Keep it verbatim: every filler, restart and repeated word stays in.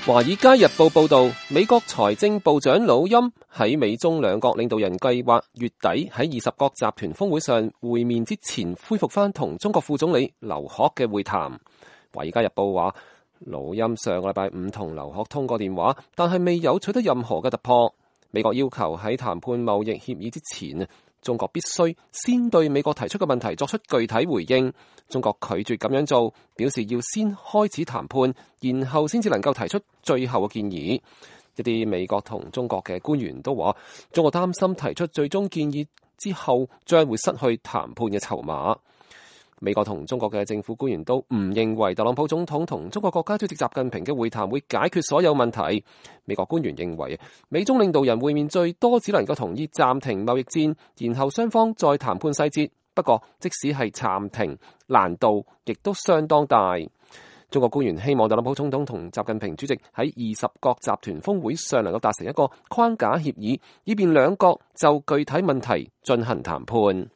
華爾街日報報道，美國財政部長魯欽喺美中兩國領導人計劃月底喺二十國集團峰會上會面之前，恢復翻同中國副總理劉鶴嘅會談。華爾街日報話，魯欽上個禮拜五同劉鶴通過電話，但係未有取得任何嘅突破。美國要求喺談判貿易協議之前，中國必須先對美國提出嘅問題作出具體回應。中國拒絕咁樣做，表示要先開始談判，然後先至能夠提出最後嘅建議。一啲美國同中國嘅官員都話，中國擔心提出最終建議之後，將會失去談判嘅籌碼。美國同中國嘅政府官員都唔認為特朗普總統同中國國家主席習近平嘅會談會解決所有問題。美國官員認為，美中領導人會面最多只能夠同意暫停貿易戰，然後雙方再談判細節。不過，即使係暫停，難度亦都相當大。中國官員希望特朗普總統同習近平主席喺二十國集團峰會上能夠達成一個框架協議，以便兩國就具體問題進行談判。